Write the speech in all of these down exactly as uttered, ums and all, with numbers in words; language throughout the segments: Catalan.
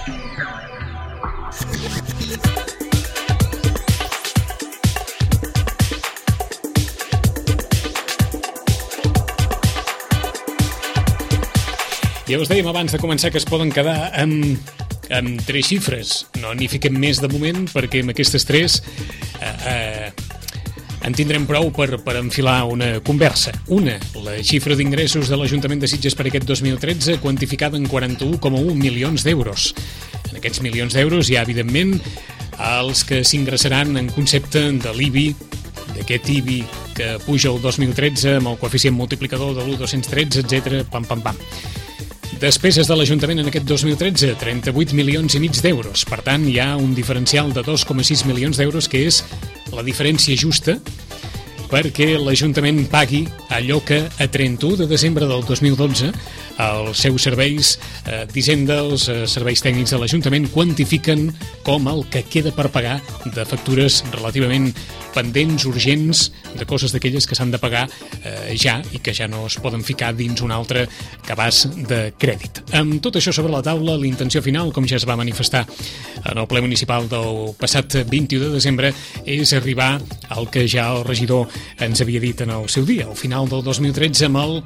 Ja us dèiem abans de començar que es poden quedar amb, amb tres xifres. No n'hi fiquem més de moment, perquè amb aquestes tres eh, eh, en tindrem prou per, per enfilar una conversa. Una, la xifra d'ingressos de l'Ajuntament de Sitges per aquest dos mil tretze, quantificada en quaranta-un coma un milions d'euros. En aquests milions d'euros hi ha, evidentment, els que s'ingressaran en concepte de l'I B I, d'aquest I B I que puja el dos mil tretze amb el coeficient multiplicador de l'u coma dos tretze, etcètera, pam, pam, pam. Despeses de l'Ajuntament en aquest dos mil tretze, trenta-vuit milions i mig d'euros. Per tant, hi ha un diferencial de dos coma sis milions d'euros, que és la diferència justa perquè l'Ajuntament pagui allò que a trenta-u de desembre del dos mil dotze els seus serveis eh, d'Hisenda, els eh, serveis tècnics de l'Ajuntament quantifiquen com el que queda per pagar de factures relativament pendents, urgents, de coses d'aquelles que s'han de pagar eh, ja i que ja no es poden ficar dins un altre cabàs de crèdit. Amb tot això sobre la taula, la intenció final, com ja es va manifestar en el ple municipal del passat vint-i-u de desembre, és arribar al que ja el regidor ens havia dit en el seu dia, al final del dos mil tretze, amb el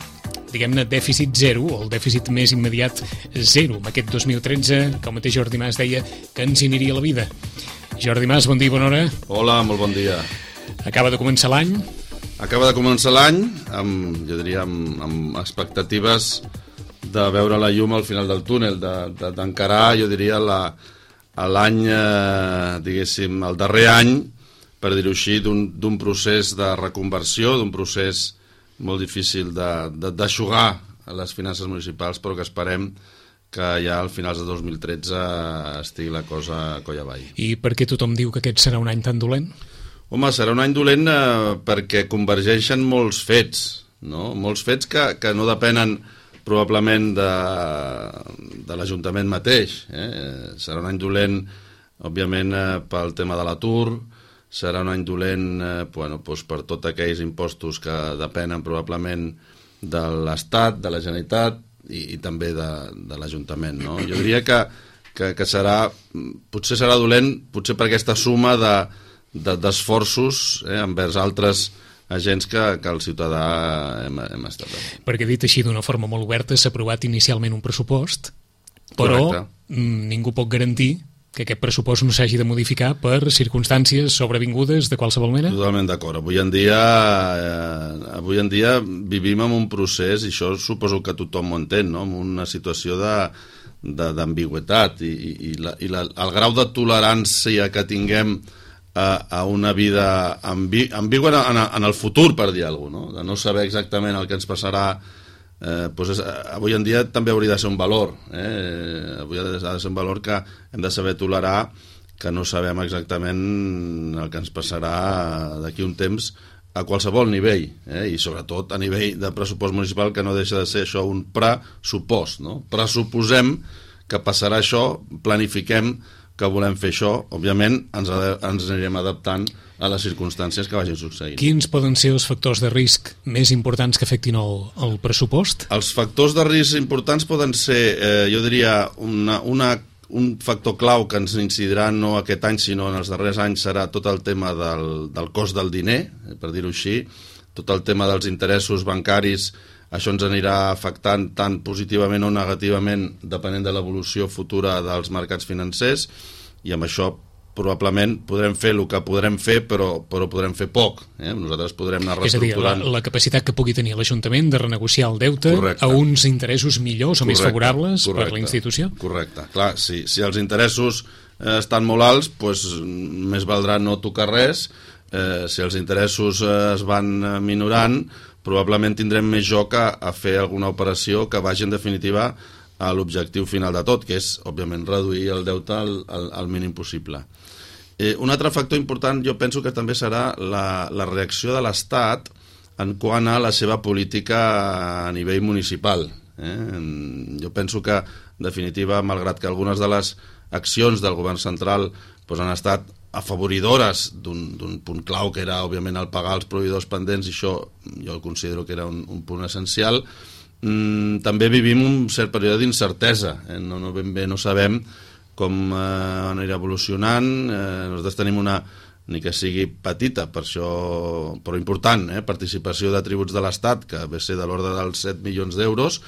diguem-ne, dèficit zero, o el dèficit més immediat zero. Amb aquest dos mil tretze, que el mateix Jordi Mas deia que ens hi aniria la vida. Jordi Mas, bon dia i bona hora. Hola, molt bon dia. Acaba de començar l'any. Acaba de començar l'any, amb, jo diria, amb, amb expectatives de veure la llum al final del túnel, d'encarar, de, de, jo diria, la, l'any, eh, diguéssim, el darrer any, per dir-ho així, d'un procés de reconversió, d'un procés molt difícil d'aixugar les finances municipals, però que esperem que ja al finals de dos mil tretze estigui la cosa coll avall. I per què tothom diu que aquest serà un any tan dolent? Home, serà un any dolent eh, perquè convergeixen molts fets, no? Molts fets que, que no depenen probablement de, de l'Ajuntament mateix. Eh? Serà un any dolent, òbviament, eh, pel tema de l'atur, serà un any dolent eh, bueno, doncs per tots aquells impostos que depenen probablement de l'Estat, de la Generalitat i, i també de, de l'Ajuntament, no? Jo diria que, que, que serà, potser serà dolent, potser per aquesta suma de, de, d'esforços eh, envers altres agents que, que el ciutadà hem, hem estat. Perquè dit així d'una forma molt oberta, s'ha aprovat inicialment un pressupost, però Correcte. Ningú pot garantir que aquest pressupost no s'hagi de modificar per circumstàncies sobrevingudes de qualsevol mena? Totalment d'acord. Avui en dia eh, avui en dia vivim en un procés, i això suposo que tothom ho entén, no? En una situació de, de, d'ambigüitat i, i, i, la, i la, el grau de tolerància que tinguem a, a una vida ambi, ambigua en, en el futur, per dir alguna cosa, no? De no saber exactament el que ens passarà. Eh, doncs és, avui en dia també hauria de ser un valor, eh? Avui ha de, ha de ser un valor que hem de saber tolerar, que no sabem exactament el que ens passarà d'aquí un temps a qualsevol nivell, eh? I sobretot a nivell de pressupost municipal, que no deixa de ser això un pressupost, no? Pressuposem que passarà això, planifiquem que volem fer això, òbviament ens, ens anirem adaptant a les circumstàncies que vagin succeint. Quins poden ser els factors de risc més importants que afectin el, el pressupost? Els factors de risc importants poden ser, eh, jo diria, una, una, un factor clau que ens incidirà no aquest any, sinó en els darrers anys, serà tot el tema del, del cost del diner, per dir-ho així, tot el tema dels interessos bancaris. Això ens anirà afectant tant positivament o negativament depenent de l'evolució futura dels mercats financers, i amb això probablement podrem fer el que podrem fer, però, però podrem fer poc. Eh? Nosaltres podrem anar reestructurant... És a dir, la, la capacitat que pugui tenir l'Ajuntament de renegociar el deute Correcte. A uns interessos millors o Correcte. Més favorables Correcte. Per la institució? Correcte. Clar, si, si els interessos eh, estan molt alts, doncs més valdrà no tocar res. Eh, si els interessos eh, es van minorant, probablement tindrem més joc a, a fer alguna operació que vagi en definitiva a l'objectiu final de tot, que és, òbviament, reduir el deute al, al, al mínim possible. Eh, un altre factor important jo penso que també serà la, la reacció de l'Estat en quant a la seva política a nivell municipal. Eh? Jo penso que, en definitiva, malgrat que algunes de les accions del govern central doncs, han estat afavoridores d'un punt clau, que era, òbviament, el pagar els proveïdors pendents, i això jo considero que era un, un punt essencial. Mm, també vivim un cert període d'incertesa. Eh? No, no ben bé no sabem com eh, anirà evolucionant. Eh, nosaltres tenim una, ni que sigui petita, per això, però important, eh, participació de tributs de l'Estat, que ve a ser de l'ordre dels set milions d'euros,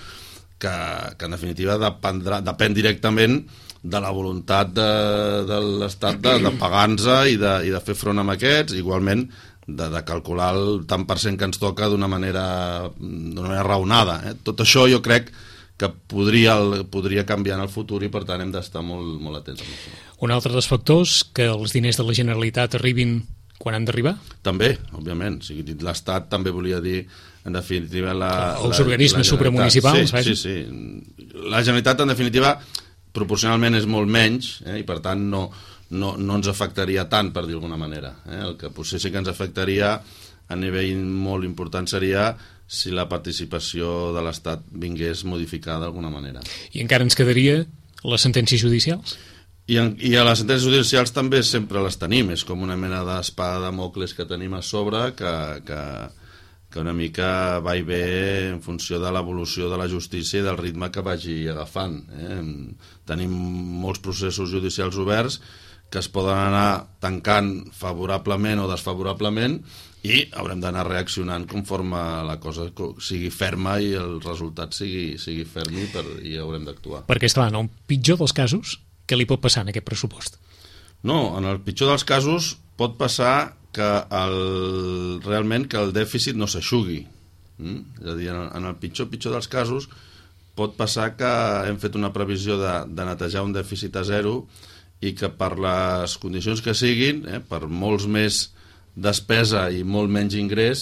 que, que en definitiva dependrà, depèn directament de la voluntat de, de l'Estat de, de pagar-nos i, de, i de fer front amb aquests, igualment de, de calcular el tant per cent que ens toca d'una manera, d'una manera raonada. Eh? Tot això jo crec que podria, podria canviar en el futur i per tant hem d'estar molt, molt atents a això. Un altre dels factors, que els diners de la Generalitat arribin quan han d'arribar? També, òbviament. O sigui, l'Estat també volia dir, en definitiva... La, els la, organismes la supramunicipals. Sí, sí, sí. La Generalitat, en definitiva, proporcionalment és molt menys, eh, i per tant no, no, no ens afectaria tant, per dir d'alguna manera. Eh? El que potser sí que ens afectaria a nivell molt important seria si la participació de l'Estat vingués modificada d'alguna manera. I encara ens quedaria les sentències judicials? I, en, I a les sentències judicials també sempre les tenim, és com una mena d'espada de Damocles que tenim a sobre, que, que, que una mica va i ve en funció de l'evolució de la justícia i del ritme que vagi agafant. Eh? Tenim molts processos judicials oberts que es poden anar tancant favorablement o desfavorablement, i haurem d'anar reaccionant conforme la cosa sigui ferma i el resultat sigui, sigui ferm i, per, i haurem d'actuar. Perquè, esclar, en el pitjor dels casos, què li pot passar en aquest pressupost? No, en el pitjor dels casos pot passar que el, realment que el dèficit no s'aixugui. Mm? És a dir, en el, en el pitjor, pitjor dels casos pot passar que hem fet una previsió de, de netejar un dèficit a zero i que per les condicions que siguin, eh, per molts més despesa i molt menys ingrés,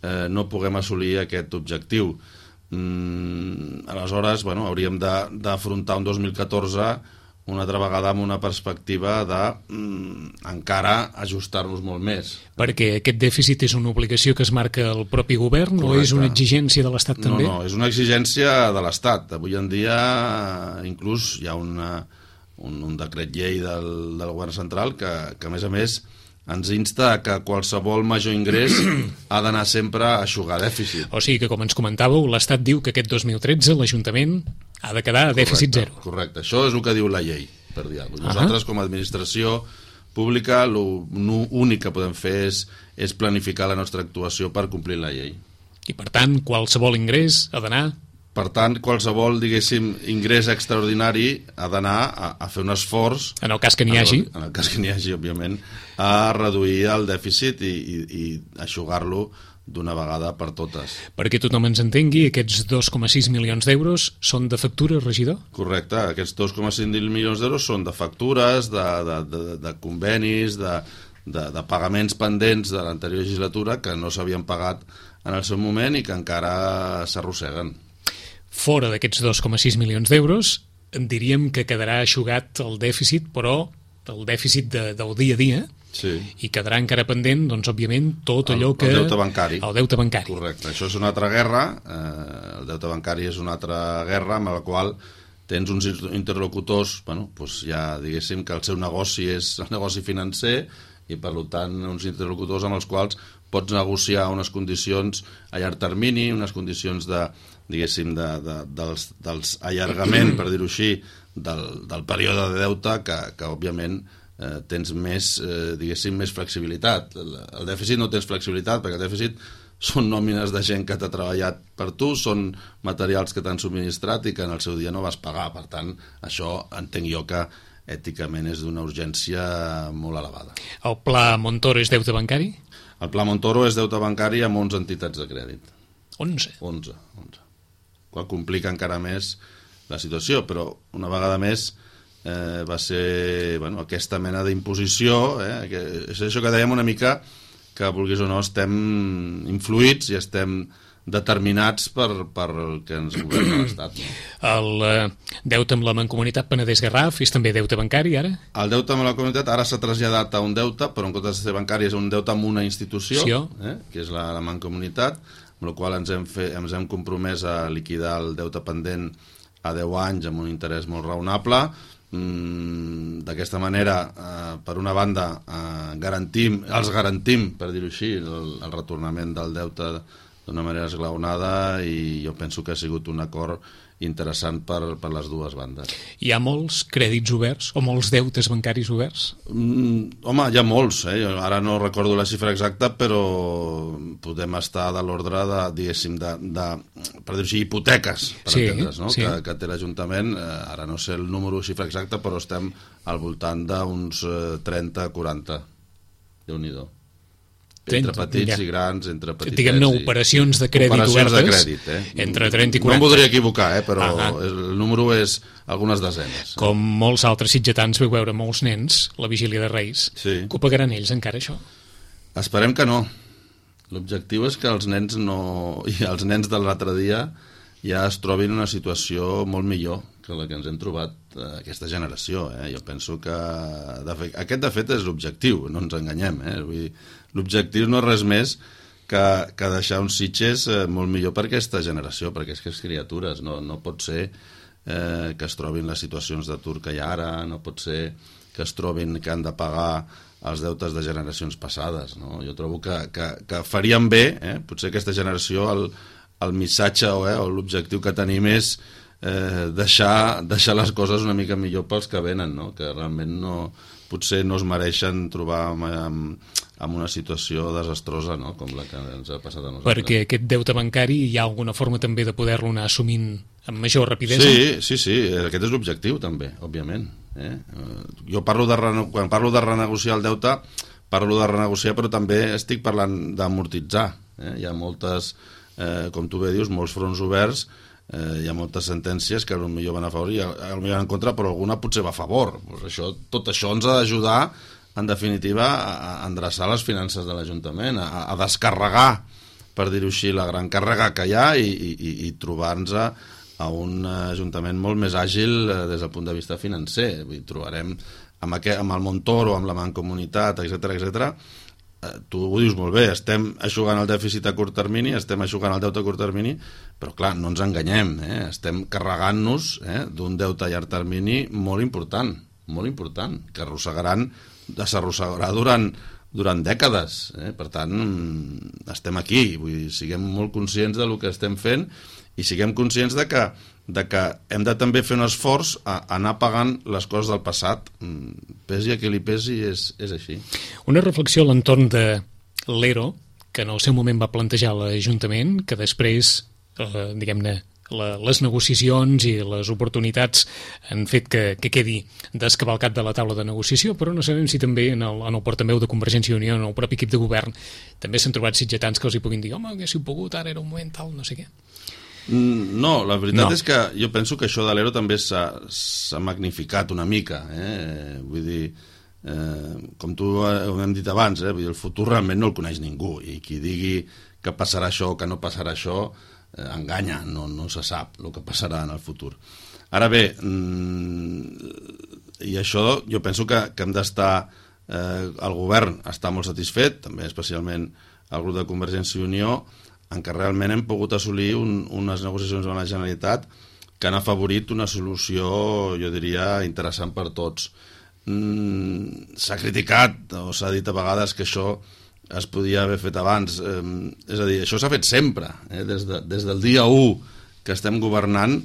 eh, no puguem assolir aquest objectiu. Mm, aleshores, bueno, hauríem d'afrontar un dos mil catorze una altra vegada amb una perspectiva de mm, encara ajustar-nos molt més. Perquè aquest dèficit és una obligació que es marca el propi govern. Correcte. O és una exigència de l'Estat també? No, no, és una exigència de l'Estat. Avui en dia inclús hi ha una, un, un decret llei del, del govern central que, que a més a més ens insta que qualsevol major ingrés ha d'anar sempre a eixugar dèficit. O sigui que, com ens comentàveu, l'Estat diu que aquest dos mil tretze l'Ajuntament ha de quedar a dèficit zero. Correcte, això és el que diu la llei, per dir alguna cosa. Nosaltres, uh-huh. com a administració pública, l'únic que podem fer és, és planificar la nostra actuació per complir la llei. I, per tant, qualsevol ingrés ha d'anar... Per tant, qualsevol, diguéssim, ingrés extraordinari ha d'anar a, a fer un esforç... En el cas que n'hi hagi. En el cas que n'hi hagi, òbviament, a reduir el dèficit i, i, i eixugar-lo d'una vegada per totes. Perquè tothom ens entengui, aquests dos coma sis milions d'euros són de factura, regidor? Correcte, aquests dos coma cinc milions d'euros són de factures, de, de, de, de convenis, de, de, de pagaments pendents de l'anterior legislatura que no s'havien pagat en el seu moment i que encara s'arrosseguen. Fora d'aquests dos coma sis milions d'euros, diríem que quedarà eixugat el dèficit, però el dèficit de, del dia a dia, sí. I quedarà encara pendent, doncs, òbviament, tot allò el, que... El deute bancari. El deute bancari. Correcte, això és una altra guerra, eh, el deute bancari és una altra guerra amb la qual tens uns interlocutors, bueno, doncs ja diguéssim que el seu negoci és el negoci financer i per tant uns interlocutors amb els quals pots negociar unes condicions a llarg termini, unes condicions de, diguéssim, de, de, dels, dels allargament, per dir-ho així, del, del període de deute que, que òbviament eh, tens més, eh, diguéssim, més flexibilitat. El, el dèficit no tens flexibilitat perquè el dèficit són nòmines de gent que t'ha treballat per tu, són materials que t'han subministrat i que en el seu dia no vas pagar. Per tant, això entenc jo que èticament és d'una urgència molt elevada. El pla Montoro és deute bancari? El pla Montoro és deute bancari amb onze entitats de crèdit. onze? onze, onze. Qual complica encara més la situació, però una vegada més eh, va ser bueno, aquesta mena d'imposició, eh, que és això que dèiem una mica, que vulguis o no estem influïts i estem determinats per, per el que ens governa l'Estat. No? El eh, deute amb la Mancomunitat Penedès-Garraf és també deute bancari, ara? El deute amb la comunitat ara s'ha traslladat a un deute, però en comptes de ser bancari és un deute amb una institució, eh, que és la, la Mancomunitat, amb la qual ens hem, fet, ens hem compromès a liquidar el deute pendent a deu anys amb un interès molt raonable. Mm, d'aquesta manera, eh, per una banda, eh, garantim, els garantim, per dir-ho així, el, el retornament del deute d'una manera esglaonada, i jo penso que ha sigut un acord interessant per, per les dues bandes. Hi ha molts crèdits oberts o molts deutes bancaris oberts? Mm, home, hi ha molts, eh? Jo ara no recordo la xifra exacta, però podem estar de l'ordre de, diguéssim, de, de, per dir-ho així, hipoteques, per sí, entendre's, no? Sí. Que, que té l'Ajuntament, eh, ara no sé el número xifra exacta, però estem al voltant d'uns eh, trenta a quaranta. Déu-n'hi-do. Entre petits ja. i grans, entre petitets... Diguem-ne, operacions de crèdit operacions obertes, de crèdit, eh? entre trenta i quaranta. No em voldria equivocar, eh? Però ah, ah. el número és algunes desenes. Com molts altres sitgetans veu veure molts nens la vigília de Reis. Sí. Que ho pagaran ells encara, això? Esperem que no. L'objectiu és que els nens no... i els nens de l'altre dia ja es trobin en una situació molt millor que la que ens hem trobat eh, aquesta generació. Eh? Jo penso que... De fet, aquest, de fet, és l'objectiu, no ens enganyem. Eh? Vull dir, l'objectiu no és res més que, que deixar uns Sitges eh, molt millor per aquesta generació, per aquestes criatures. No, no pot ser eh, que es trobin les situacions d'atur que hi ha ara, no pot ser que es trobin que han de pagar els deutes de generacions passades. No? Jo trobo que, que, que faríem bé, eh? Potser aquesta generació, el, el missatge o, eh, o l'objectiu que tenim és eh, deixar, deixar les coses una mica millor pels que venen, no? Que realment no, potser no es mereixen trobar amb, amb, amb una situació desastrosa, no? Com la que ens ha passat a nosaltres. Perquè aquest deute bancari hi ha alguna forma també de poder-lo anar assumint amb major rapidesa? Sí, sí, sí, aquest és l'objectiu també, òbviament. Eh? Jo parlo de, quan parlo de renegociar el deute, parlo de renegociar, però també estic parlant d'amortitzar. Eh? Hi ha moltes, eh, com tu bé dius, molts fronts oberts, eh, hi ha moltes sentències que potser van a favor i potser van en contra, però alguna potser va a favor. Pues això, tot això ens ha d'ajudar, en definitiva, a endreçar les finances de l'Ajuntament, a, a descarregar, per dir-ho així, la gran càrrega que hi ha i, i, i trobar-nos a un Ajuntament molt més àgil des del punt de vista financer. Vull dir, trobarem amb, aquest, amb el Montoro, amb la Mancomunitat, etcètera, etcètera. Tu ho dius molt bé, estem eixugant el dèficit a curt termini, estem eixugant el deute a curt termini, però clar, no ens enganyem, eh? Estem carregant-nos eh, d'un deute a llarg termini molt important, molt important, que arrossegaran, s'arrossegarà durant, durant dècades. Eh? Per tant, estem aquí, vull dir, siguem molt conscients del que estem fent i siguem conscients de que, de que hem de també fer un esforç a anar pagant les coses del passat. Pesi a qui li pesi, és, és així. Una reflexió a l'entorn de l'E R O, que en el seu moment va plantejar l'Ajuntament, que després, eh, diguem-ne, la, les negociacions i les oportunitats han fet que, que quedi descavalcat de la taula de negociació, però no sabem si també en el, en el portaveu de Convergència i Unió, en el propi equip de govern, també s'han trobat sitgetans que els hi puguin dir home, haguéssiu pogut, ara era un moment tal, no sé què. No, la veritat no. és que jo penso que això de l'E R O també s'ha magnificat una mica, eh? Vull dir, eh, com tu ho hem dit abans, eh? Vull dir, el futur realment no el coneix ningú i qui digui que passarà això o que no passarà això eh, enganya, no, no se sap el que passarà en el futur. Ara bé, mm, i això jo penso que, que hem d'estar, eh, el govern està molt satisfet, també especialment el grup de Convergència i Unió, en què realment hem pogut assolir un, unes negociacions amb la Generalitat que han afavorit una solució, jo diria, interessant per tots. Mm, s'ha criticat, o s'ha dit a vegades que això es podia haver fet abans. Eh, és a dir, això s'ha fet sempre. Eh? Des, de, des del dia u que estem governant,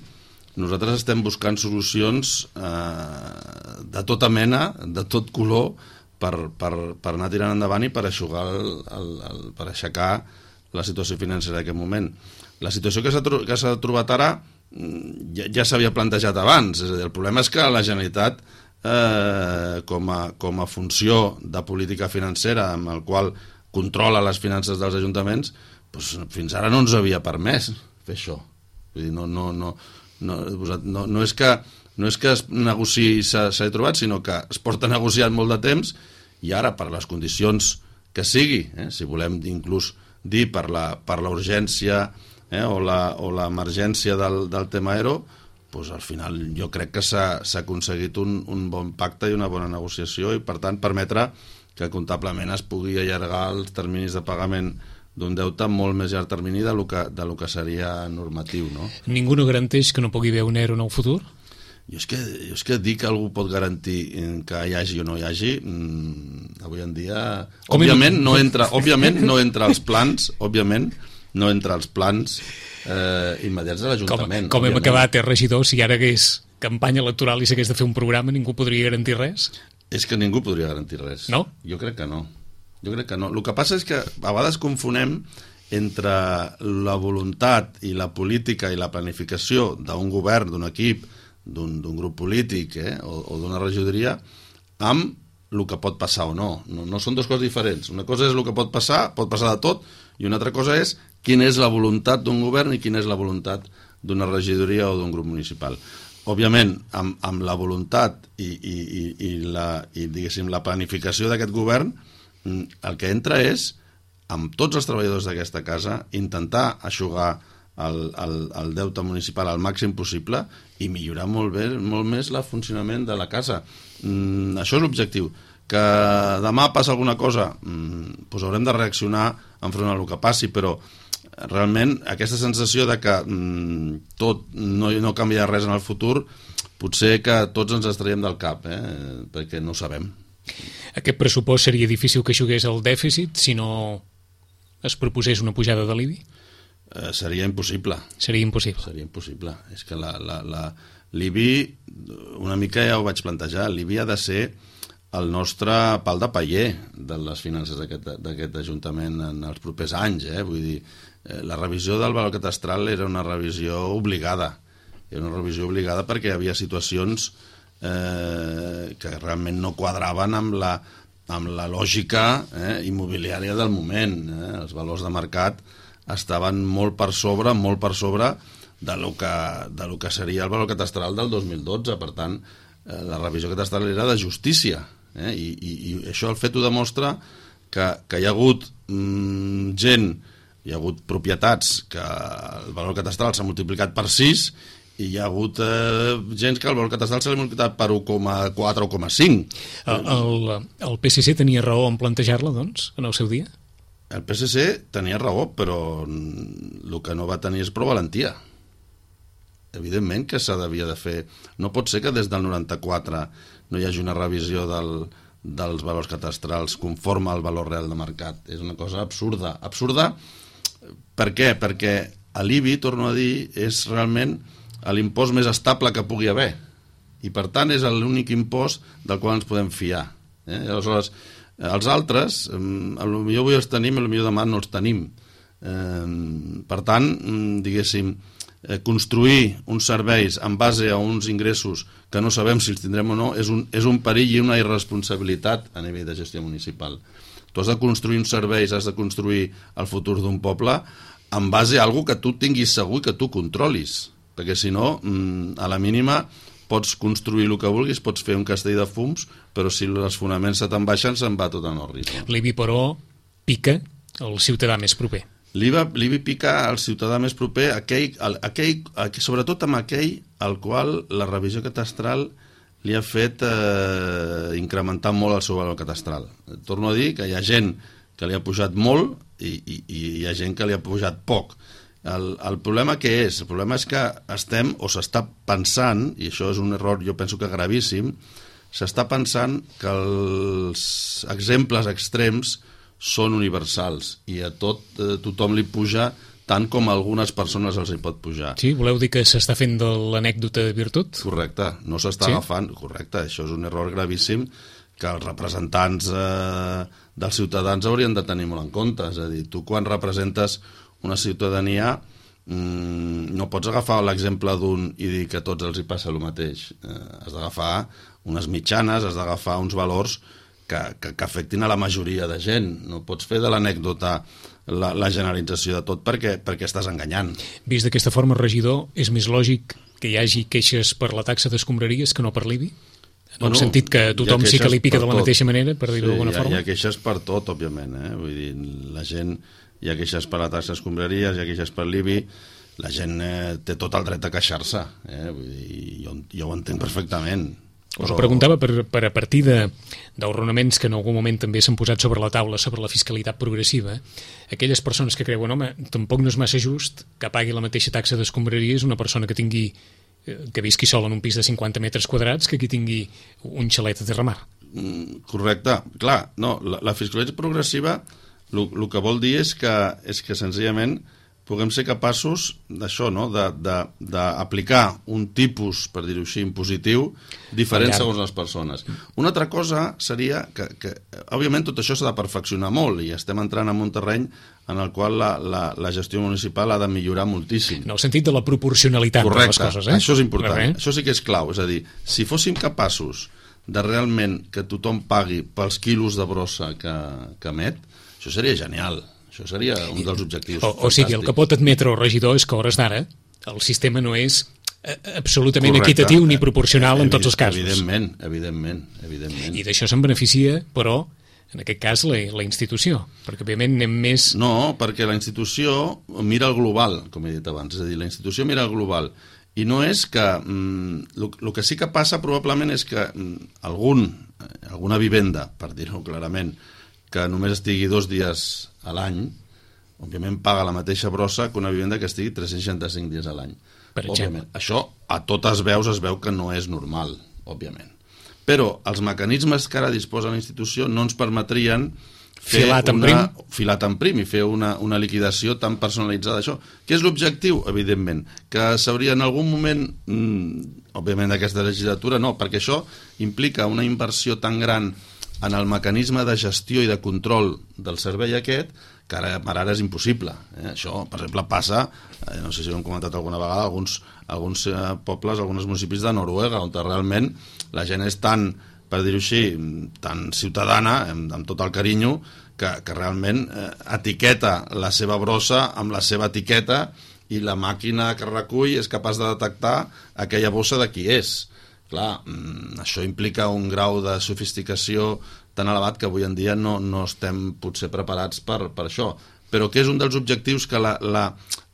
nosaltres estem buscant solucions eh, de tota mena, de tot color, per, per, per anar tirant endavant i per aixugar el, el, el, per aixecar la situació financera d'aquest moment. La situació que s'ha que s'ha trobat ara ja, ja s'havia plantejat abans, és a dir, el problema és que la Generalitat eh, com, a, com a funció de política financera amb el qual controla les finances dels ajuntaments, doncs, fins ara no ens havia permès fer això. Vull dir, no, no, no, no, no, no és que no és que es negociï i s'ha trobat, sinó que es porta negociant molt de temps i ara per les condicions que sigui, eh, si volem inclús dir per la, per la urgència eh, o l'emergència del, del tema E R O, doncs al final jo crec que s'ha aconseguit un, un bon pacte i una bona negociació i per tant permetre que comptablement es pugui allargar els terminis de pagament d'un deute molt més llarg termini de lo que, de lo que seria normatiu, no? Ningú no garanteix que no pugui haver un E R O en el futur? Jo és, que, jo és que dir que algú pot garantir que hi hagi o no hi hagi, mmm, avui en dia, òbviament no, entra, òbviament no entra als plans, òbviament, no entra als plans eh, immediats de l'Ajuntament. Com, com hem acabat, eh, regidor, si ara hagués campanya electoral i s'hagués de fer un programa, ningú podria garantir res? És que ningú podria garantir res. No? Jo crec que no. Jo crec que no. El que passa és que a vegades confonem entre la voluntat i la política i la planificació d'un govern, d'un equip, d'un grup polític eh, o, o d'una regidoria amb el que pot passar o no. no. No són dues coses diferents. Una cosa és el que pot passar, pot passar de tot, i una altra cosa és quina és la voluntat d'un govern i quina és la voluntat d'una regidoria o d'un grup municipal. Òbviament, amb, amb la voluntat i, i, i, i, la, i diguéssim, la planificació d'aquest govern, el que entra és, amb tots els treballadors d'aquesta casa, intentar eixugar el, el, el deute municipal al màxim possible i millorar molt, bé, molt més el funcionament de la casa. Mm, això és l'objectiu. Que demà passa alguna cosa, mm, doncs haurem de reaccionar enfront al que passi, però realment aquesta sensació de que mm, tot no, no canvia res en el futur, potser que tots ens extraiem del cap, eh? Perquè no ho sabem. Aquest pressupost seria difícil que eixugués el dèficit si no es proposés una pujada de l'I B I? Eh, seria impossible. Seria impossible. Seria impossible. És que la, la, la, l'I B I, una mica ja ho vaig plantejar, l'I B I ha de ser el nostre pal de paller de les finances d'aquest Ajuntament en els propers anys. Eh? Vull dir, eh, la revisió del valor catastral era una revisió obligada. Era una revisió obligada perquè hi havia situacions eh, que realment no quadraven amb la, amb la lògica eh, immobiliària del moment. Eh? Els valors de mercat estaven molt per sobre, molt per sobre de lo que, de lo que seria el valor catastral del dos mil dotze. Per tant, eh, la revisió catastral era de justícia. Eh? I, i, I això el fet ho demostra que, que hi ha hagut mm, gent, hi ha hagut propietats que el valor catastral s'ha multiplicat per sis i hi ha hagut eh, gent que el valor catastral s'ha multiplicat per un coma quatre o un coma cinc. El, el, el P S C tenia raó en plantejar-la, doncs, en el seu dia? El P S C tenia raó, però el que no va tenir és prou valentia. Evidentment que s'ha devia de fer. No pot ser que des del noranta-quatre no hi hagi una revisió del, dels valors catastrals conforme al valor real de mercat. És una cosa absurda. Absurda per què? Perquè l'I B I, torno a dir, és realment l'impost més estable que pugui haver. I per tant és l'únic impost del qual ens podem fiar. Eh? Aleshores, els altres, potser avui els tenim i potser demà no els tenim. Eh, per tant, diguéssim, construir uns serveis en base a uns ingressos que no sabem si els tindrem o no és un, és un perill i una irresponsabilitat a nivell de gestió municipal. Tu has de construir uns serveis, has de construir el futur d'un poble en base a alguna que tu tinguis segur i que tu controlis, perquè si no, a la mínima pots construir el que vulguis, pots fer un castell de fums, però si els fonaments se te'n baixen se'n va tot en orris. L'I B I, però, pica el ciutadà més proper. L'I B I pica al ciutadà més proper, aquell, aquell, aquell, sobretot amb aquell al qual la revisió catastral li ha fet eh, incrementar molt el seu valor catastral. Torno a dir que hi ha gent que li ha pujat molt i, i, i hi ha gent que li ha pujat poc. El, el problema què és? El problema és que estem, o s'està pensant, i això és un error jo penso que gravíssim, s'està pensant que els exemples extrems són universals i a tot eh, tothom li puja tant com a algunes persones els hi pot pujar. Sí, voleu dir que s'està fent de l'anècdota de virtut? Correcte, no s'està sí? agafant, correcte, això és un error gravíssim que els representants eh, dels ciutadans haurien de tenir molt en compte. És a dir, tu quan representes una ciutadania mmm, no pots agafar l'exemple d'un i dir que a tots els hi passa el mateix. Eh, has d'agafar unes mitjanes, has d'agafar uns valors Que, que, que afectin a la majoria de gent. No pots fer de l'anècdota la, la generalització de tot perquè, perquè estàs enganyant. Vist d'aquesta forma, regidor, és més lògic que hi hagi queixes per la taxa d'escombraries que no per l'I B I? En bueno, el sentit que tothom sí que li pica de la tot. mateixa manera, per dir-ho sí, d'alguna forma? Hi ha queixes per tot, òbviament. Eh? Vull dir, la gent, hi ha queixes per la taxa d'escombraries, hi ha queixes per l'I B I, la gent eh, té tot el dret a queixar-se. Eh? Vull dir, jo, jo ho entenc perfectament. Us ho preguntava per, per a partir dels raonaments que en algun moment també s'han posat sobre la taula sobre la fiscalitat progressiva, aquelles persones que creuen, home, tampoc no és massa just que pagui la mateixa taxa d'escombraries una persona que tingui que visqui sol en un pis de cinquanta metres quadrats que qui tingui un xalet a terramar. Mm, correcte. Clar, no, la, la fiscalitat progressiva el que vol dir és que, és que senzillament puguem ser capaços d'això, no? d'aplicar un tipus, per dir-ho així, impositiu, diferent segons les persones. Una altra cosa seria que, que òbviament, tot això s'ha de perfeccionar molt i estem entrant en un terreny en el qual la, la, la gestió municipal ha de millorar moltíssim. En el sentit de la proporcionalitat de les coses, eh? Això és important, Correcte. Això sí que és clau. És a dir, si fóssim capaços de realment que tothom pagui pels quilos de brossa que, que emet, això seria genial. Això seria un dels objectius. O, o sigui, el que pot admetre el regidor és que a hores d'ara el sistema no és absolutament Correcte. Equitatiu ni proporcional en tots els casos. Evidentment, evidentment, evidentment. I d'això se'n beneficia, però, en aquest cas, la, la institució, perquè òbviament anem més... No, perquè la institució mira el global, com he dit abans, és a dir, la institució mira el global, i no és que... El que sí que passa probablement és que algun, alguna vivenda, per dir-ho clarament, que només estigui dos dies a l'any, òbviament paga la mateixa brossa que una vivenda que estigui tres-cents seixanta-cinc dies a l'any. Per exemple. Això a totes veus es veu que no és normal, òbviament. Però els mecanismes que ara disposa la institució no ens permetrien fer filat en una, prim. filat en prim i fer una, una liquidació tan personalitzada d'això. Què és l'objectiu? Evidentment, que s'hauria en algun moment, mmm, òbviament d'aquesta legislatura, no, perquè això implica una inversió tan gran en el mecanisme de gestió i de control del servei aquest, que ara, ara és impossible. Eh? Això, per exemple, passa, eh, no sé si ho hem comentat alguna vegada, alguns, alguns eh, pobles, alguns municipis de Noruega, on realment la gent és tan, per dir-ho així, tan ciutadana, amb, amb tot el carinyo, que, que realment eh, etiqueta la seva brossa amb la seva etiqueta i la màquina que recull és capaç de detectar aquella bossa de qui és. Clar, això implica un grau de sofisticació tan elevat que avui en dia no, no estem potser preparats per, per això. Però que és un dels objectius que la, la,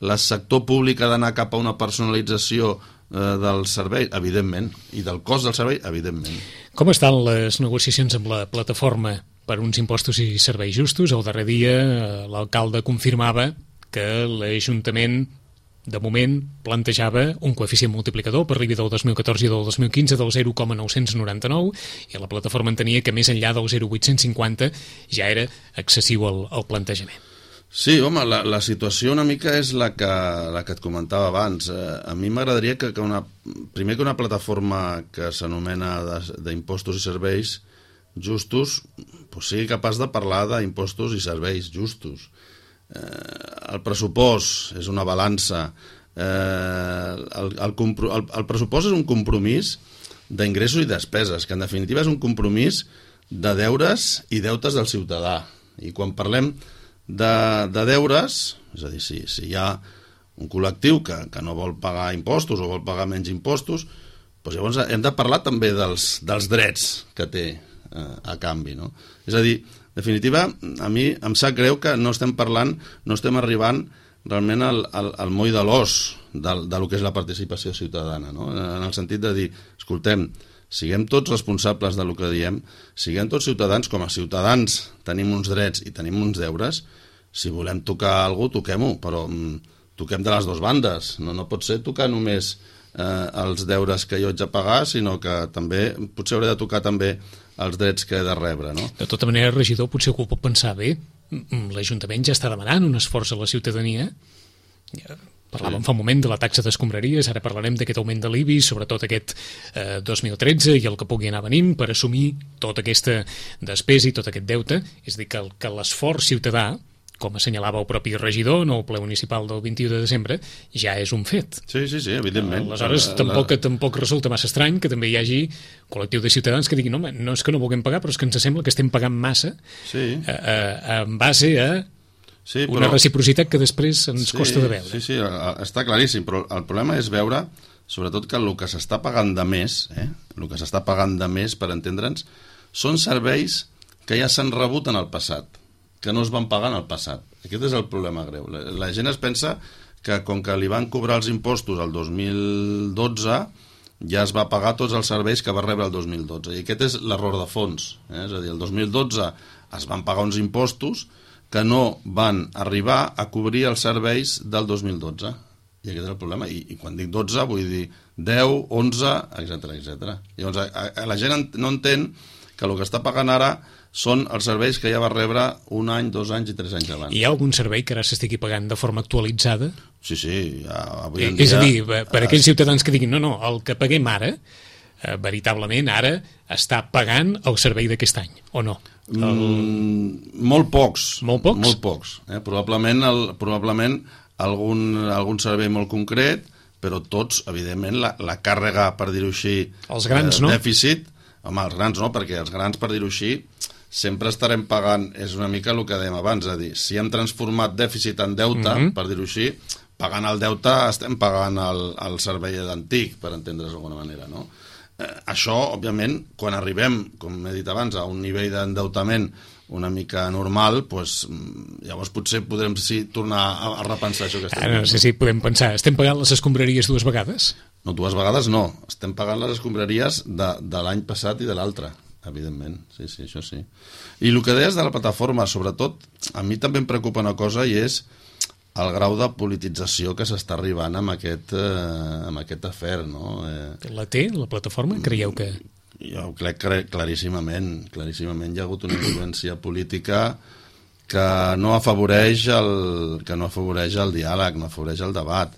la sector públic ha d'anar cap a una personalització eh, del servei, evidentment, i del cost del servei, evidentment. Com estan les negociacions amb la plataforma per uns impostos i serveis justos? El darrer dia l'alcalde confirmava que l'Ajuntament de moment plantejava un coeficient multiplicador per l'I B I del dos mil catorze i del dos mil quinze del zero coma nou-cents noranta-nou i la plataforma entenia que més enllà del zero coma vuit-cents cinquanta ja era excessiu el, el plantejament. Sí, home, la, la situació una mica és la que, la que et comentava abans. Eh, a mi m'agradaria que, que una, primer que una plataforma que s'anomena d'impostos i serveis justos pues sigui capaç de parlar d'impostos i serveis justos. Eh, el pressupost és una balança, eh, el, el, el, el pressupost és un compromís d'ingressos i despeses, que en definitiva és un compromís de deures i deutes del ciutadà. I quan parlem de, de deures, és a dir, si, si hi ha un col·lectiu que, que no vol pagar impostos o vol pagar menys impostos, doncs llavors hem de parlar també dels, dels drets que té eh, a canvi, no? És a dir, en definitiva, a mi em sap greu que no estem parlant, no estem arribant realment al, al, al moll de l'os del, del que és la participació ciutadana, no? En el sentit de dir, escoltem, siguem tots responsables del que diem, siguem tots ciutadans, com a ciutadans tenim uns drets i tenim uns deures, si volem tocar alguna cosa, toquem-ho, però mm, toquem de les dues bandes, no, no pot ser tocar només eh, els deures que jo haig de pagar, sinó que també potser hauré de tocar també els drets que he de rebre, no? De tota manera, regidor, potser algú pot pensar, bé, l'Ajuntament ja està demanant un esforç a la ciutadania. Parlàvem sí. fa un moment de la taxa d'escombraries, ara parlarem d'aquest augment de l'I B I, sobretot aquest eh, dos mil tretze i el que pugui anar venint per assumir tota aquesta despesa i tot aquest deute. És a dir, que, que l'esforç ciutadà, com assenyalava el propi regidor en el ple municipal del vint-i-u de desembre, ja és un fet. Sí, sí, sí, evidentment. Aleshores, la, tampoc, la... tampoc resulta massa estrany que també hi hagi col·lectiu de ciutadans que diguin no, no és que no vulguem pagar, però és que ens sembla que estem pagant massa sí. eh, eh, en base a sí, però... una reciprocitat que després ens sí, costa de veure. Sí, sí, està claríssim, però el problema és veure, sobretot, que el que s'està pagant de més, eh, el que s'està pagant de més, per entendre'ns, són serveis que ja s'han rebut en el passat, que no es van pagar en el passat. Aquest és el problema greu. La, la gent es pensa que com que li van cobrar els impostos el dos mil dotze ja es va pagar tots els serveis que va rebre el dos mil dotze. I aquest és l'error de fons. Eh? És a dir, el dos mil dotze es van pagar uns impostos que no van arribar a cobrir els serveis del dos mil dotze. I aquest és el problema. I, i quan dic dotze vull dir deu, onze, etcètera etcètera. Llavors, a, a, la gent no entén que el que està pagant ara són els serveis que ja va rebre un any, dos anys i tres anys abans. Hi ha algun servei que ara s'estigui pagant de forma actualitzada? Sí, sí. Ja, avui en dia, és a dir, per aquells ciutadans que diguin no, no, el que paguem ara, eh, veritablement ara està pagant el servei d'aquest any, o no? El... Mm, molt pocs. Molt pocs? Molt pocs. Eh? Probablement, el, probablement algun, algun servei molt concret, però tots, evidentment, la, la càrrega, per dir-ho així, els grans, eh, no? dèficit, home, els grans no, perquè els grans, per dir-ho així, sempre estarem pagant, és una mica el que dèiem abans, és a dir, si hem transformat dèficit en deute, mm-hmm. per dir-ho així, pagant el deute estem pagant el, el servei antic, per entendre's d'alguna manera, no? Eh, això, òbviament, quan arribem, com he dit abans, a un nivell d'endeutament una mica normal, pues, llavors potser podrem sí, tornar a, a repensar això que estem fent. No sé si podem pensar, estem pagant les escombraries dues vegades? No, dues vegades no, estem pagant les escombraries de, de l'any passat i de l'altre, evidentment, sí, sí, això sí. I el que deies de la plataforma, sobretot, a mi també em preocupa una cosa i és el grau de politització que s'està arribant amb aquest, eh, amb aquest afer, no? Eh, la té, la plataforma? Creieu que... Jo crec que claríssimament, claríssimament hi ha hagut una influència política que no afavoreix el, que no afavoreix el diàleg, no afavoreix el debat.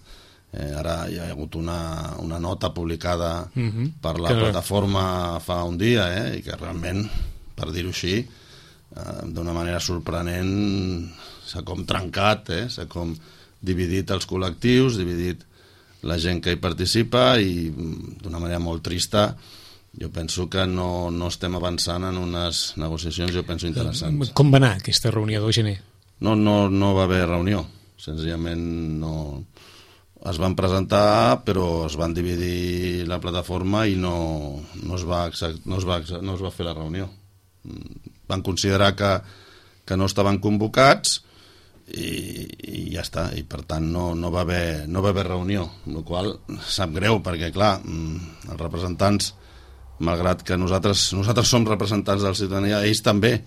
Eh, ara hi ha hagut una, una nota publicada uh-huh. per la que... plataforma fa un dia, eh, i que realment, per dir-ho així, eh, d'una manera sorprenent s'ha com trencat, eh, s'ha com dividit els col·lectius, dividit la gent que hi participa i d'una manera molt trista jo penso que no, no estem avançant en unes negociacions, jo penso, interessants. Com va anar aquesta reunió del gener? No, no, no va haver reunió, senzillament no... Es van presentar, però es van dividir la plataforma i no, no, es, va, no, es, va, no es va fer la reunió. Van considerar que, que no estaven convocats i, i ja està, i per tant no, no, va haver, no va haver reunió, el qual sap greu, perquè clar, els representants, malgrat que nosaltres, nosaltres som representants de la ciutadania, ells també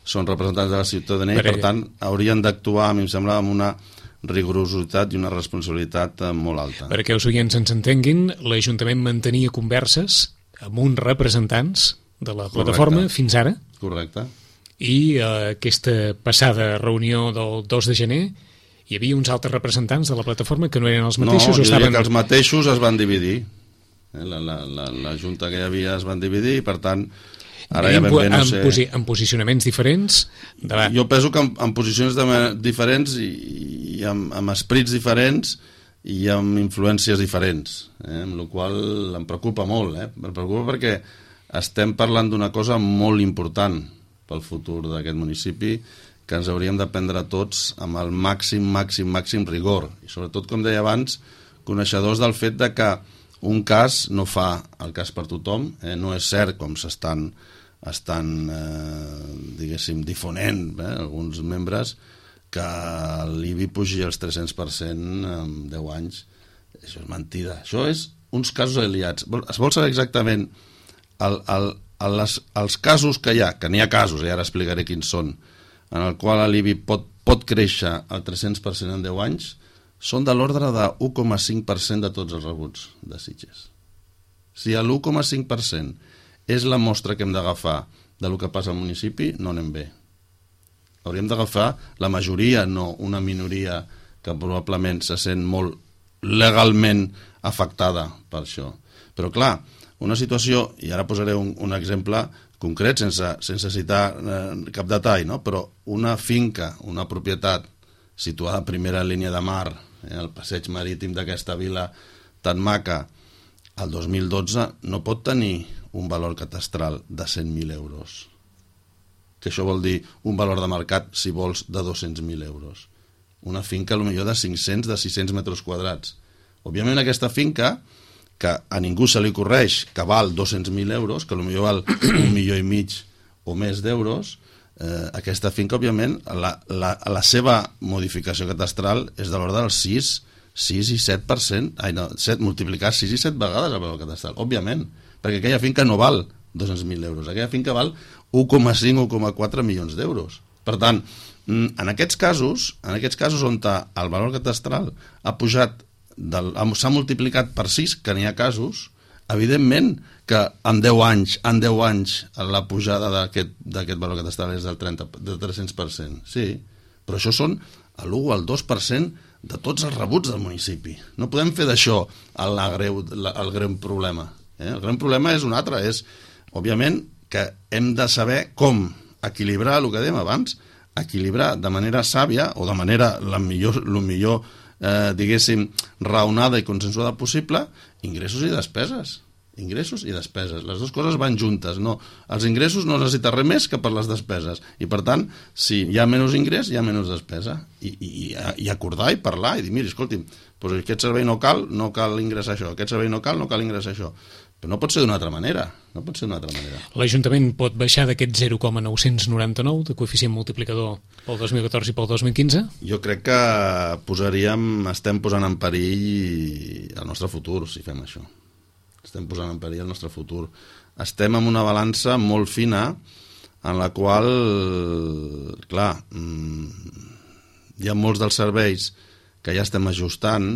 són representants de la ciutadania i per tant haurien d'actuar, a mi em sembla, amb una rigorositat i una responsabilitat molt alta. Perquè els oients ens entenguin, l'Ajuntament mantenia converses amb uns representants de la plataforma Correcte. Fins ara. Correcte. I eh, aquesta passada reunió del dos de gener hi havia uns altres representants de la plataforma que no eren els mateixos? No, o estaven... que els mateixos es van dividir. La, la, la, la junta que hi havia es van dividir i per tant ara ja ben bé no sé... En, posi en posicionaments diferents? De... Jo penso que en, en posicions de, diferents i, i amb, amb esprits diferents i amb influències diferents, eh? Amb la qual em preocupa molt, eh? Em preocupa perquè estem parlant d'una cosa molt important pel futur d'aquest municipi que ens hauríem de prendre tots amb el màxim, màxim, màxim rigor i sobretot, com deia abans, coneixedors del fet de que un cas no fa el cas per tothom, eh? No és cert com s'estan estan, eh, diguéssim, difonent eh, alguns membres que l'I B I pugi els tres-cents per cent en deu anys. Això és mentida. Això és uns casos aliats. Es vol saber exactament el, el, el, les, els casos que hi ha, que n'hi ha casos, i ara explicaré quins són, en el qual l'I B I pot, pot créixer al tres-cents per cent en deu anys, són de l'ordre de l'u coma cinc per cent de tots els rebuts de Sitges. Si l'u coma cinc per cent és la mostra que hem d'agafar del que passa al municipi, no anem bé. Hauríem d'agafar la majoria, no una minoria que probablement se sent molt legalment afectada per això. Però clar, una situació, i ara posaré un, un exemple concret sense, sense citar eh, cap detall, no? Però una finca, una propietat situada a primera línia de mar, eh, al passeig marítim d'aquesta vila tan maca, el dos mil dotze no pot tenir un valor catastral de cent mil euros. Que això vol dir un valor de mercat, si vols, de dos-cents mil euros. Una finca, potser de cinc-cents, de sis-cents metres quadrats. Òbviament aquesta finca, que a ningú se li correix que val dos-cents mil euros, que potser val un milió i mig o més d'euros, eh, aquesta finca, òbviament, la, la, la seva modificació catastral és de l'ordre del sis, sis i set per cent, ai no, set, multiplicar sis i set vegades el valor catastral, òbviament, perquè aquella finca no val dos-cents mil euros, aquella finca val u coma cinc o u coma quatre milions d'euros. Per tant, en aquests casos, en aquests casos on el valor catastral ha pujat del, s'ha multiplicat per sis, que n'hi ha casos, evidentment que en deu anys, en deu anys la pujada d'aquest valor catastral és del trenta, del tres-cents per cent. Sí, però això són l'u o el dos per cent de tots els rebuts del municipi. No podem fer d'això el, greu, el greu problema. Eh? El gran problema és un altre, és, òbviament, que hem de saber com equilibrar, el que dèiem abans, equilibrar de manera sàvia o de manera la millor, el millor eh, diguéssim, raonada i consensuada possible, ingressos i despeses. Ingressos i despeses. Les dues coses van juntes. No, els ingressos no necessiten res més que per les despeses. I, per tant, si hi ha menys ingrés, hi ha menys despesa. I, i, i acordar i parlar i dir, mira, escolti'm, doncs aquest servei no cal, no cal ingressar això. Aquest servei no cal, no cal ingressar això. Però no pot ser d'una altra manera. No pot ser d'una altra manera. L'Ajuntament pot baixar d'aquest zero coma nou-cents noranta-nou de coeficient multiplicador pel dos mil catorze i pel dos mil quinze? Jo crec que posaríem, estem posant en perill el nostre futur si fem això. Estem posant en perill el nostre futur. Estem en una balança molt fina en la qual, clar, hi ha molts dels serveis que ja estem ajustant,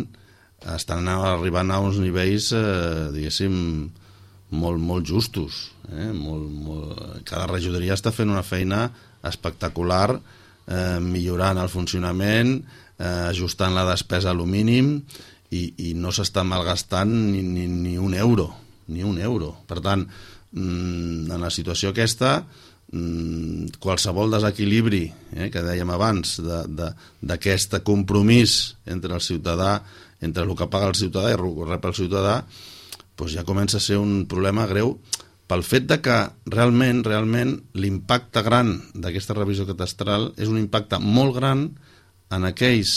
estan arribant a uns nivells, eh, diguéssim, molt, molt justos. Eh? Molt, molt... Cada regidoria està fent una feina espectacular, eh, millorant el funcionament, eh, ajustant la despesa a lo mínim, i, i no s'està malgastant ni, ni, ni un euro, ni un euro. Per tant, en la situació aquesta, qualsevol desequilibri, eh, que dèiem abans, d'aquest compromís entre el ciutadà, entre el que paga el ciutadà i el que rep el ciutadà, doncs ja comença a ser un problema greu pel fet de que realment, realment l'impacte gran d'aquesta revisió catastral és un impacte molt gran en aquells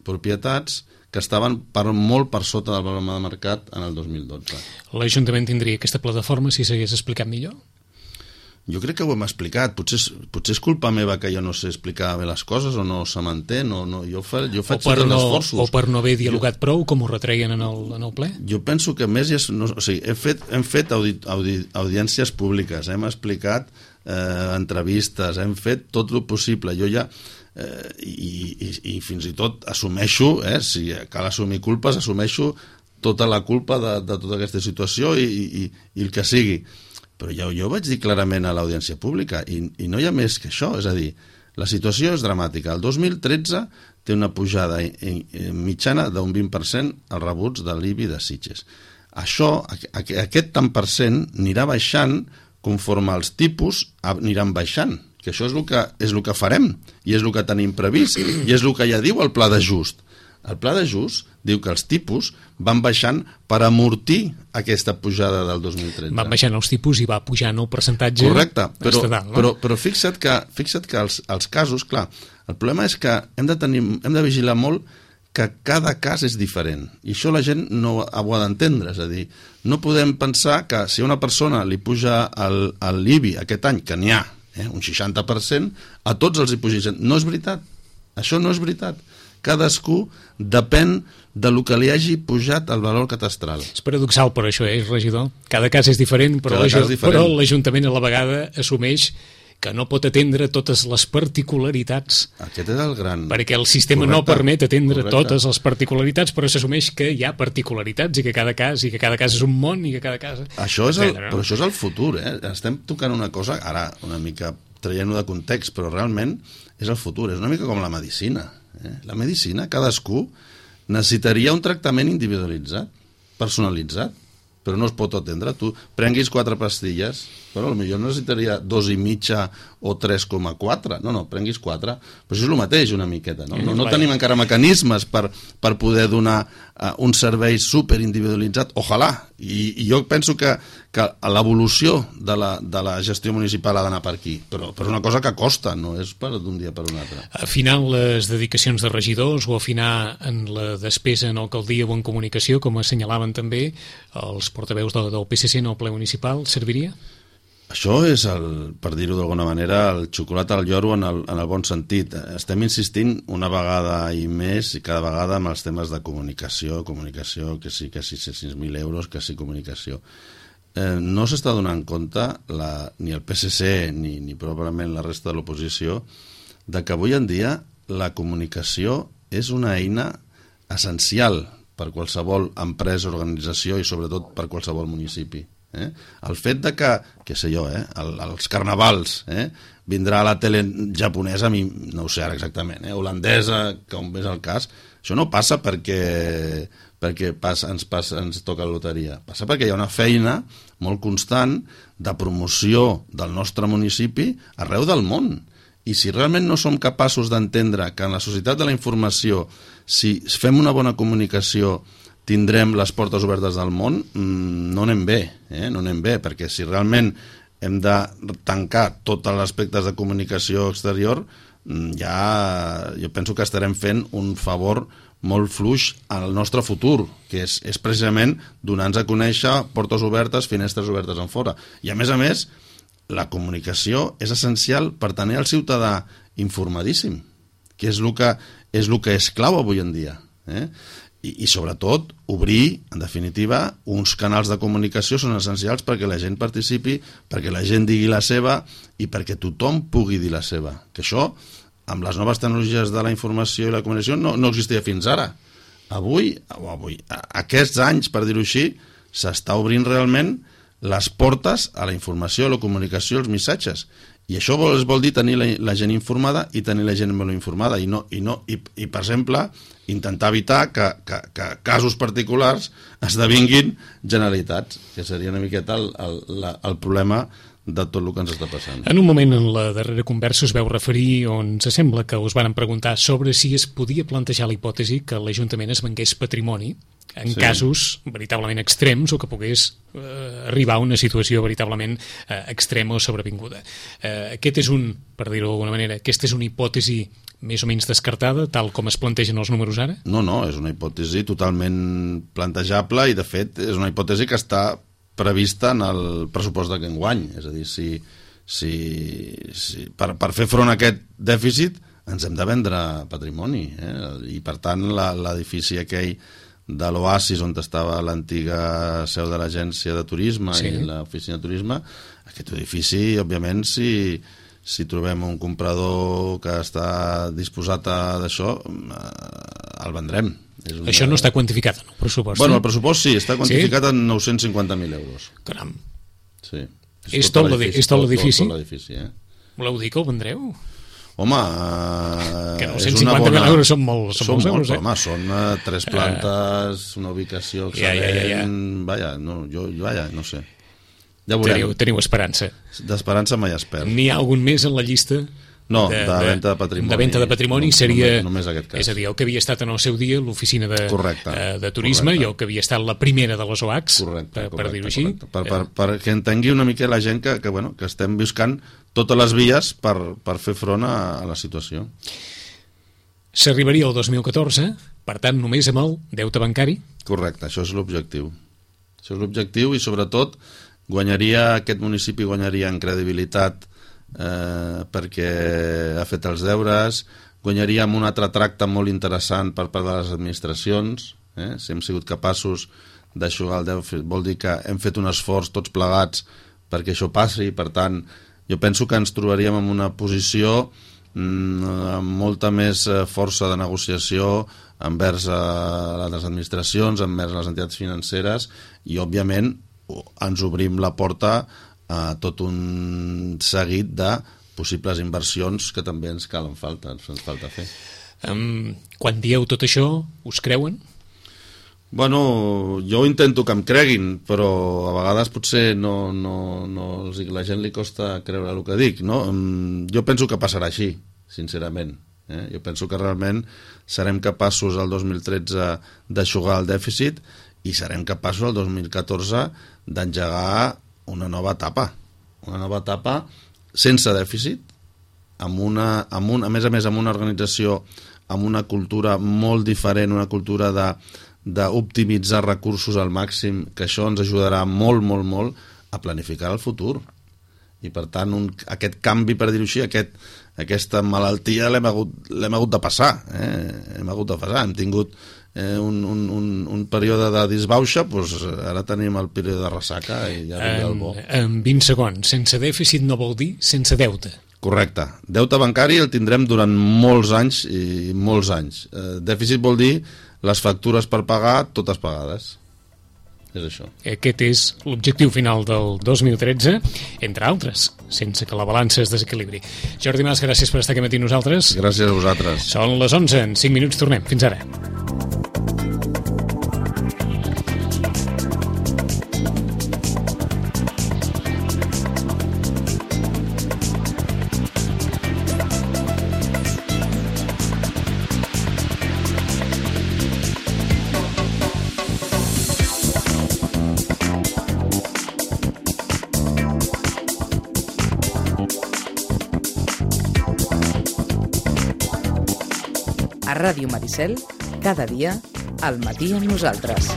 propietats que estaven per, molt per sota del valor de mercat en el dos mil dotze. L'Ajuntament tindria aquesta plataforma si s'hagués explicat millor? Jo crec que ho hem explicat. Potser, potser és culpa meva que jo no sé explicar bé les coses o no se m'entén. No, no, jo, fa, jo faig tots no, els esforços. O per no haver dialogat jo, prou, com ho retreien en el, en el ple? Jo penso que més... No, o sigui, hem fet, hem fet audi, audi, audiències públiques, hem explicat eh, entrevistes, hem fet tot el possible. Jo ja... Eh, i, i, i fins i tot assumeixo, eh, si cal assumir culpes, assumeixo tota la culpa de, de tota aquesta situació i, i, i el que sigui, però ja, jo vaig dir clarament a l'audiència pública i, i no hi ha més que això, és a dir, la situació és dramàtica. El dos mil tretze té una pujada mitjana d'un vint per cent als rebuts de l'I B I de Sitges. Això, aquest tant per cent anirà baixant conforme els tipus aniran baixant, que això és el que, és el que farem i és el que tenim previst i és el que ja diu el pla d'ajust. El pla d'ajust diu que els tipus van baixant per amortir aquesta pujada del dos mil tretze. Van baixant els tipus i va pujant el percentatge. Correcte, però, estatal, no? però, però fixa't que, fixa't que els, els casos, clar, el problema és que hem de, tenir, hem de vigilar molt que cada cas és diferent i això la gent no ho ha d'entendre, és a dir, no podem pensar que si a una persona li puja el, el l'I B I aquest any, que n'hi ha, Eh, un seixanta per cent, a tots els hi pugeixen. No és veritat, això no és veritat. Cadascú depèn de lo que li hagi pujat el valor catastral. És paradoxal per això, eh, regidor? Cada cas és diferent, però l'Ajuntament a la vegada assumeix que no pot atendre totes les particularitats. Aquest és el gran... Perquè el sistema correcte, no permet atendre correcte. Totes les particularitats, però s'assumeix que hi ha particularitats i que cada cas i que cada cas és un món i que cada cas... Això és el, però això és el futur, eh? Estem tocant una cosa, ara una mica traient-ho de context, però realment és el futur, és una mica com la medicina. Eh? La medicina, cadascú necessitaria un tractament individualitzat, personalitzat, però no es pot atendre. Tu prenguis quatre pastilles, però potser necessitaria dos i mitja o tres coma quatre. No, no, prenguis quatre. Però això és el mateix una miqueta. No, no, no tenim encara mecanismes per, per poder donar uh, un servei superindividualitzat. Ojalà. I, i jo penso que, que l'evolució de la, de la gestió municipal ha d'anar per aquí. Però, però és una cosa que costa, no és per d'un dia per un altre. Afinar les dedicacions de regidors o afinar en la despesa en alcaldia o en comunicació, com assenyalaven també els portaveus del, del P S C en el ple municipal, serviria? Això és, el, per dir-ho d'alguna manera, el xocolata al lloro en el, en el bon sentit. Estem insistint una vegada i més i cada vegada amb els temes de comunicació, comunicació, que sí, que sí, sis mil euros, que sí, comunicació. Eh, no s'està donant compte, la, ni el P S C ni, ni probablement la resta de l'oposició, de que avui en dia la comunicació és una eina essencial per qualsevol empresa, organització i sobretot per qualsevol municipi. Eh? El fet de que, què sé jo, eh? El, els carnavals, eh? vindrà a la tele japonesa, a mi no ho sé ara exactament, eh? holandesa, com és el cas, això no passa perquè, perquè passa, ens, passa, ens toca la loteria, passa perquè hi ha una feina molt constant de promoció del nostre municipi arreu del món. I si realment no som capaços d'entendre que en la societat de la informació, si fem una bona comunicació, tindrem les portes obertes del món, no anem bé, eh? no anem bé, perquè si realment hem de tancar tots els aspectes de comunicació exterior, ja jo penso que estarem fent un favor molt fluix al nostre futur, que és, és precisament donar-nos a conèixer portes obertes, finestres obertes en fora. I a més a més, la comunicació és essencial per tenir el ciutadà informadíssim, que és el que és, el que és clau avui en dia. Eh? I, I sobretot obrir, en definitiva, uns canals de comunicació són essencials perquè la gent participi, perquè la gent digui la seva i perquè tothom pugui dir la seva. Que això, amb les noves tecnologies de la informació i la comunicació, no, no existia fins ara. Avui, o avui, aquests anys, per dir-ho així, s'està obrint realment les portes a la informació, a la comunicació, als missatges. I això vol, vol dir tenir la, la gent informada i tenir la gent molt informada. I, no, i, no, i, i per exemple, intentar evitar que, que, que casos particulars esdevinguin generalitats, que seria una miqueta el, el, la, el problema de tot el que ens està passant. En un moment, en la darrera conversa, us veu referir on se sembla que us van preguntar sobre si es podia plantejar la hipòtesi que l'Ajuntament es vengués patrimoni en sí. casos veritablement extrems o que pogués eh, arribar a una situació veritablement eh, extrema o sobrevinguda. Eh, aquest és un, per dir-ho d'alguna manera, aquesta és una hipòtesi més o menys descartada, tal com es plantegen els números ara? No, no, és una hipòtesi totalment plantejable i, de fet, és una hipòtesi que està prevista en el pressupost d'aquest any. És a dir, si, si, si per, per fer front a aquest dèficit ens hem de vendre patrimoni. Eh? I, per tant, l'edifici aquell de l'Oasis, on estava l'antiga seu de l'agència de turisme sí. i l'oficina de turisme, aquest edifici, òbviament, si, si trobem un comprador que està disposat a d'això, el vendrem. És una... Això no està quantificat en el pressupost? Bueno, el pressupost sí, està quantificat sí? en nou-cents cinquanta mil euros. Caram. Sí. És, és tot l'edifici? Tot l'edifici, eh? Voleu dir que el vendreu? Home, uh, que nou-cents cinquanta mil bona... euros són, molt, són, són molts euros, eh? Home, són uh, tres plantes, uh, una ubicació excel·lent, ja, ja, ja, ja. Vaja, no, jo, vaja, no sé. Ja teniu, teniu esperança. D'esperança mai es perd. N'hi ha algun més en la llista? No, de, de venda de patrimoni. De venda de patrimoni no, seria... Només, només aquest cas. És a dir, el que havia estat en el seu dia l'oficina de, correcte, uh, de turisme correcte. I el que havia estat la primera de les O A Cs, correcte, per, correcte, per dir-ho així. Per, per, per que entengui una mica la gent que, que, bueno, que estem buscant totes les vies per, per fer front a, a la situació. S'arribaria al dos mil catorze, per tant, només amb el deute bancari? Correcte, això és l'objectiu. Això és l'objectiu i, sobretot, guanyaria, aquest municipi guanyaria en credibilitat eh, perquè ha fet els deures, guanyaria amb un altre tracte molt interessant per part de les administracions, eh? Si hem sigut capaços d'aixugar el deute, vol dir que hem fet un esforç tots plegats perquè això passi, per tant, jo penso que ens trobaríem en una posició mm, amb molta més força de negociació envers a les administracions, envers les entitats financeres i, òbviament, ens obrim la porta a tot un seguit de possibles inversions que també ens calen falta, ens falta fer. Um, quan dieu tot això, us creuen? Bueno, jo intento que em creguin, però a vegades potser no, no, no, la gent li costa creure el que dic, no? Jo penso que passarà així, sincerament. Eh? Jo penso que realment serem capaços el dos mil tretze d'aixugar el dèficit i serem capaços el dos mil catorze d'engegar una nova etapa, una nova etapa sense dèficit, amb una, amb un, a més a més amb una organització, amb una cultura molt diferent, una cultura de d'optimitzar recursos al màxim, que això ens ajudarà molt, molt, molt a planificar el futur. I per tant, un, aquest canvi, per dir-ho així, aquest, aquesta malaltia l'hem hagut, l'hem hagut de passar, eh? hem hagut de passar, hem tingut eh, un, un, un, un període de disbauxa, doncs ara tenim el període de ressaca i ja vindrà el bo. En vint segons, sense dèficit no vol dir sense deute. Correcte. Deute bancari el tindrem durant molts anys i molts anys. Eh, dèficit vol dir les factures per pagar, totes pagades. És això. Aquest és l'objectiu final del dos mil tretze, entre altres, sense que la balança es desequilibri. Jordi Mas, gràcies per estar aquí matí amb nosaltres. Gràcies a vosaltres. Són les onze, en cinc minuts tornem. Fins ara. A Ràdio Maricel, cada dia, al matí amb nosaltres.